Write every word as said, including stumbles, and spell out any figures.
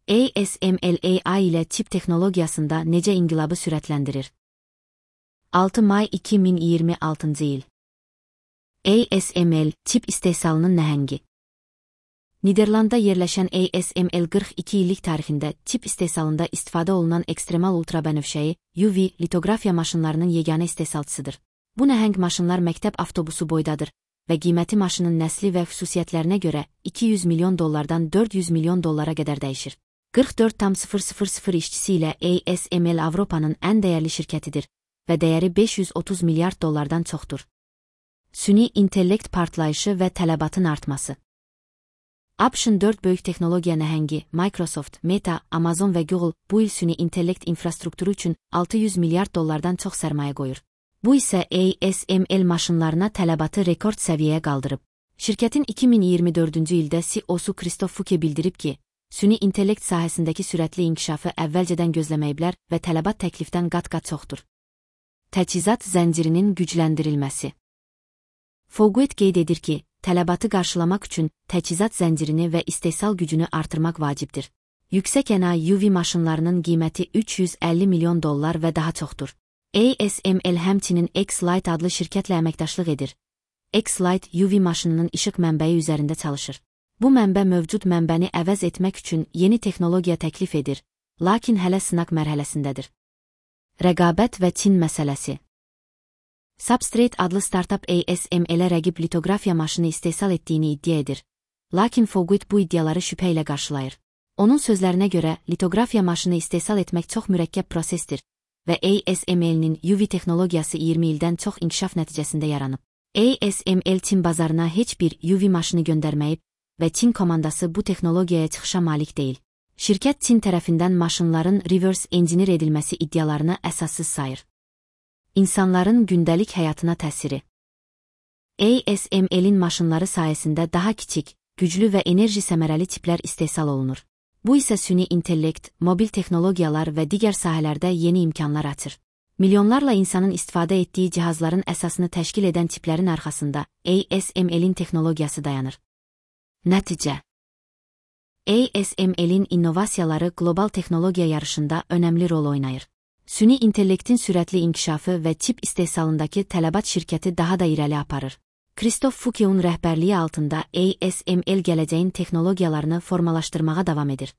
A S M L A I ilə çip texnologiyasında necə inqilabı sürətləndirir? altı may iki min iyirmi altıncı il. A S M L çip istehsalının nəhəngi. Niderlandda yerləşən A S M L qırx iki illik tarixində çip istehsalında istifadə olunan ekstremal ultrabənövşəyi U V litografiya maşınlarının yeganə istehsalçısıdır. Bu nəhəng maşınlar məktəb avtobusu boydadır və qiyməti maşının nəsli və xüsusiyyətlərinə görə iki yüz milyon dollardan dörd yüz milyon dollara qədər dəyişir. qırx dörd min işçisi ilə A S M L Avropanın ən dəyərli şirkətidir və dəyəri beş yüz otuz milyard dollardan çoxdur. Süni intellekt partlayışı və tələbatın artması. ABŞ-ın dörd böyük texnologiya nəhəngi Microsoft, Meta, Amazon və Google bu il süni intellekt infrastrukturu üçün altı yüz milyard dollardan çox sərmayə qoyur. Bu isə A S M L maşınlarına tələbatı rekord səviyyəyə qaldırıb. Şirkətin iki min iyirmi dördüncü ildə C E O-su Christoph Fuke bildirib ki, süni intellekt sahəsindəki sürətli inkişafı əvvəlcədən gözləməyiblər və tələbat təklifdən qat-qat çoxdur. Təchizat zəncirinin gücləndirilməsi. Foguet qeyd edir ki, tələbatı qarşılamaq üçün təchizat zəncirini və istehsal gücünü artırmaq vacibdir. Yüksək ənayi U V maşınlarının qiyməti üç yüz əlli milyon dollar və daha çoxdur. A S M L həmçinin X-Light adlı şirkətlə əməkdaşlıq edir. X-Light U V maşınının işıq mənbəyi üzərində çalışır. Bu mənbə mövcud mənbəni əvəz etmək üçün yeni texnologiya təklif edir, lakin hələ sınaq mərhələsindədir. Rəqabət və Çin məsələsi. Substrate adlı startup A S M L-ə rəqib litografiya maşını istehsal etdiyini iddia edir, lakin Foguet bu iddiaları şübhə ilə qarşılayır. Onun sözlərinə görə, litografiya maşını istehsal etmək çox mürəkkəb prosesdir və A S M L-nin U V texnologiyası iyirmi ildən çox inkişaf nəticəsində yaranıb. A S M L Çin bazarına heç bir U V maşını göndərməyib və Çin komandası bu texnologiyaya çıxışa malik deyil. Şirkət Çin tərəfindən maşınların reverse engineer edilməsi iddialarını əsassız sayır. İnsanların gündəlik həyatına təsiri. A S M L-in maşınları sayəsində daha kiçik, güclü və enerji səmərəli çiplər istehsal olunur. Bu isə süni intellekt, mobil texnologiyalar və digər sahələrdə yeni imkanlar açır. Milyonlarla insanın istifadə etdiyi cihazların əsasını təşkil edən çiplərin arxasında A S M L-in texnologiyası dayanır. Nəticə. A S M L-in innovasiyaları qlobal texnologiya yarışında önəmli rol oynayır. Süni intellektin sürətli inkişafı və çip istehsalındakı tələbat şirkəti daha da irəli aparır. Christoph Fuke'un rəhbərliyi altında A S M L gələcəyin texnologiyalarını formalaşdırmağa davam edir.